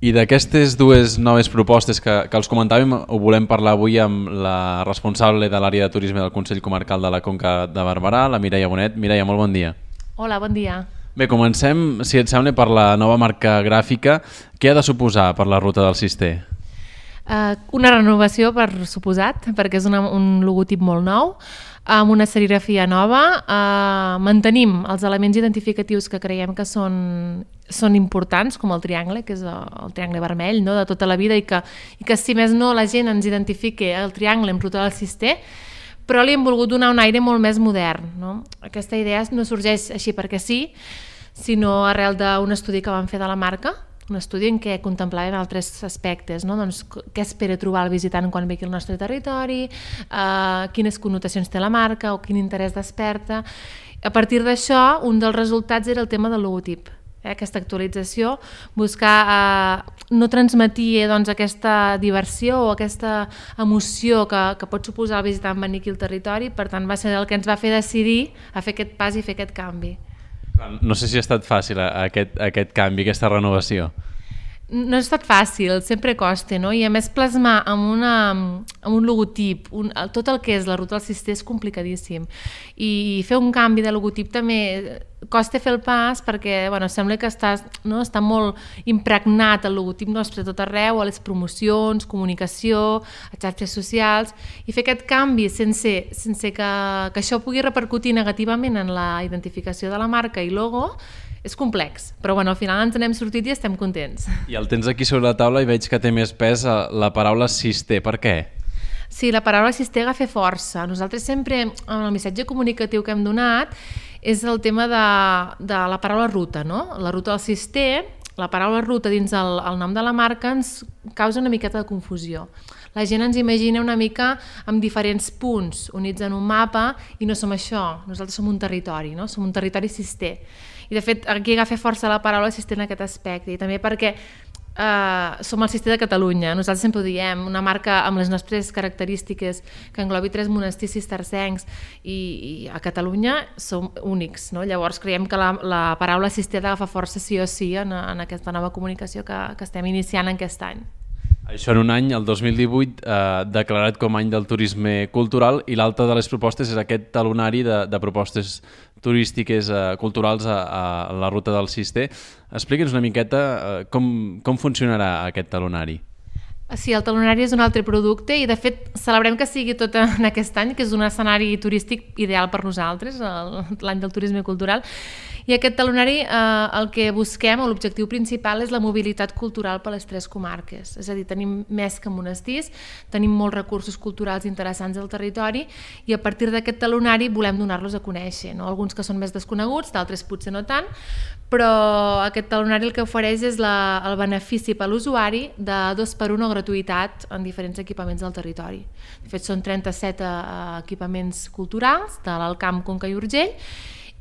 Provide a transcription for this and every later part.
I d'aquestes dues noves propostes que els comentàvem, ho volem parlar avui amb la responsable de l'àrea de turisme del Consell Comarcal de la Conca de Barberà, la Mireia Bonet. Mireia, molt bon dia. Hola, bon dia. Bé, comencem, si et sembla, per la nova marca gràfica. Què ha de suposar per la ruta del Cister? Una renovació, per suposat, perquè és un logotip molt nou, amb una serigrafia nova. Mantenim els elements identificatius que creiem que són importants, com el triangle, que és el triangle vermell, no?, de tota la vida, i que si més no la gent ens identifiqui el triangle en ruta del Cister, però li hem volgut donar un aire molt més modern, no? Aquesta idea no sorgeix així perquè sí, sinó arrel d'un estudi que vam fer de la marca, un estudi en què contemplàvem altres aspectes, no? Doncs, què espera trobar el visitant quan ve aquí al nostre territori, quines connotacions té la marca o quin interès desperta. A partir d'això, un dels resultats era el tema del logotip. Aquesta actualització, buscar no transmetir aquesta diversió o aquesta emoció que pot suposar el visitant venir aquí al territori, per tant va ser el que ens va fer decidir a fer aquest pas i fer aquest canvi. No sé si ha estat fàcil aquest canvi, aquesta renovació. No ha estat fàcil, sempre costa, no? I a més plasmar amb un logotip tot el que és la ruta del Cister és complicadíssim, i fer un canvi de logotip també costa fer el pas perquè sembla que està molt impregnat el logotip nostre tot arreu, a les promocions, comunicació, a xarxes socials, i fer aquest canvi sense que això pugui repercutir negativament en la identificació de la marca i logo és complex, però al final ens n'hem sortit i estem contents. I el tens aquí sobre la taula i veig que té més pes la paraula Cister. Per què? Sí, la paraula Cister agafa força. Nosaltres sempre, en el missatge comunicatiu que hem donat, és el tema de la paraula ruta, no? La ruta del Cister, la paraula ruta dins el nom de la marca ens causa una miqueta de confusió. La gent ens imagina una mica amb diferents punts units en un mapa i no som això, nosaltres som un territori, no? Som un territori cister. I de fet aquí agafa força la paraula cister en aquest aspecte, i també perquè som el Cister de Catalunya. Nosaltres sempre ho diem, una marca amb les nostres característiques que englobi 3 monestirs cistercencs i a Catalunya som únics, no? Llavors creiem que la paraula cister ha d'agafar força sí o sí en aquesta nova comunicació que estem iniciant aquest any. Això en un any, el 2018, declarat com a any del turisme cultural, i l'altra de les propostes és aquest talonari de propostes turístiques culturals a la ruta del Cister. Explica'ns una miqueta com funcionarà aquest talonari. Sí, el talonari és un altre producte i de fet celebrem que sigui tot en aquest any, que és un escenari turístic ideal per nosaltres, l'any del turisme cultural. I aquest talonari el que busquem, o l'objectiu principal, és la mobilitat cultural per les 3 comarques. És a dir, tenim més que monestirs, tenim molts recursos culturals interessants al territori i a partir d'aquest talonari volem donar-los a conèixer, no? Alguns que són més desconeguts, d'altres potser no tant, però aquest talonari el que ofereix és el benefici per a l'usuari de 2x1 o gratuïtat en diferents equipaments del territori. De fet, són 37 equipaments culturals de l'Alt Camp, Conca i Urgell,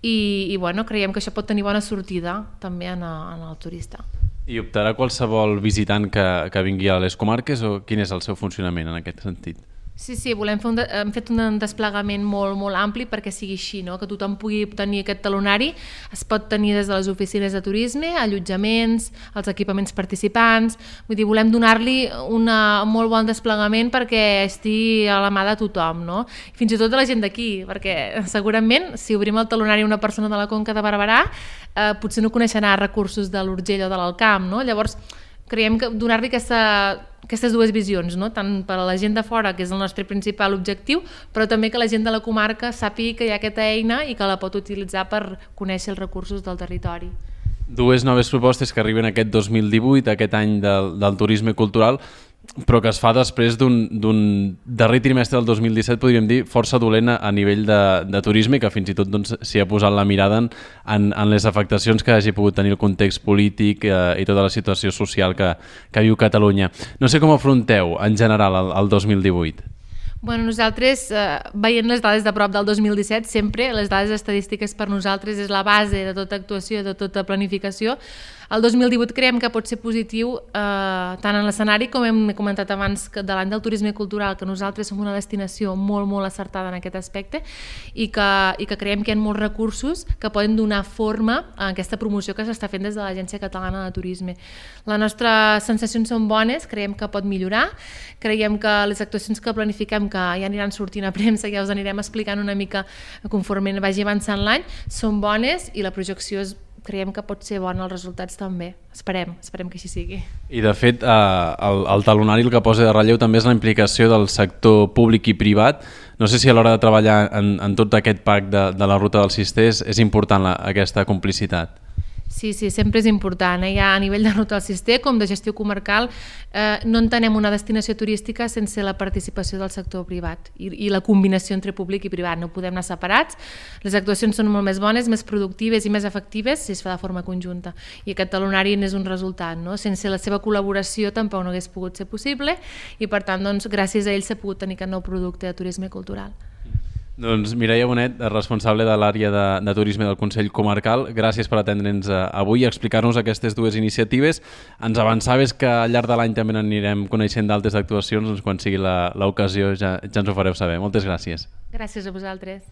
i creiem que això pot tenir bona sortida també en el turista. I optarà qualsevol visitant que vingui a les comarques o quin és el seu funcionament en aquest sentit? Sí, hem fet un desplegament molt, molt ampli perquè sigui així, no? Que tothom pugui tenir aquest talonari. Es pot tenir des de les oficines de turisme, allotjaments, els equipaments participants. Vull dir, volem donar-li un molt bon desplegament perquè estigui a la mà de tothom, no? Fins i tot de la gent d'aquí, perquè segurament si obrim el talonari a una persona de la Conca de Barberà potser no coneixerà recursos de l'Urgell o de l'Alt Camp, no? Llavors creiem que donar-li aquestes dues visions, no? Tant per a la gent de fora, que és el nostre principal objectiu, però també que la gent de la comarca sàpiga que hi ha aquesta eina i que la pot utilitzar per conèixer els recursos del territori. 2 noves propostes que arriben aquest 2018, aquest any del turisme cultural, però que es fa després d'un darrer trimestre del 2017, podríem dir, força dolent a nivell de turisme, que fins i tot s'hi ha posat la mirada en les afectacions que hagi pogut tenir el context polític i tota la situació social que viu Catalunya. No sé com afronteu en general el 2018. Nosaltres, veient les dades de prop del 2017, sempre les dades estadístiques per nosaltres és la base de tota actuació, de tota planificació. El 2018 creiem que pot ser positiu tant en l'escenari, com hem comentat abans, de l'any del turisme cultural, que nosaltres som una destinació molt, molt acertada en aquest aspecte i que creiem que hi ha molts recursos que poden donar forma a aquesta promoció que s'està fent des de l'Agència Catalana de Turisme. Les nostres sensacions són bones, creiem que pot millorar, creiem que les actuacions que planifiquem, que ja aniran sortint a premsa, ja us anirem explicant una mica conforme vagi avançant l'any, són bones i la projecció creiem que pot ser bona, els resultats també. Esperem que així sigui. I de fet, el talonari el que posa de relleu també és la implicació del sector públic i privat. No sé si a l'hora de treballar en tot aquest pack de la ruta del Cister és important aquesta complicitat. Sí, sempre és important. Ja a nivell de ruta del Cister, com de gestió comarcal, no entenem una destinació turística sense la participació del sector privat i la combinació entre públic i privat. No podem anar separats. Les actuacions són molt més bones, més productives i més efectives si es fa de forma conjunta. I aquest talonari n'és un resultat. No? Sense la seva col·laboració tampoc no hagués pogut ser possible i, per tant, gràcies a ells s'ha pogut tenir aquest nou producte de turisme cultural. Doncs Mireia Bonet, responsable de l'àrea de turisme del Consell Comarcal, gràcies per atendre'ns avui i explicar-nos aquestes dues iniciatives. Ens avançaves que al llarg de l'any també n'anirem coneixent d'altres actuacions, doncs quan sigui l'ocasió ja ens ho fareu saber. Moltes gràcies. Gràcies a vosaltres.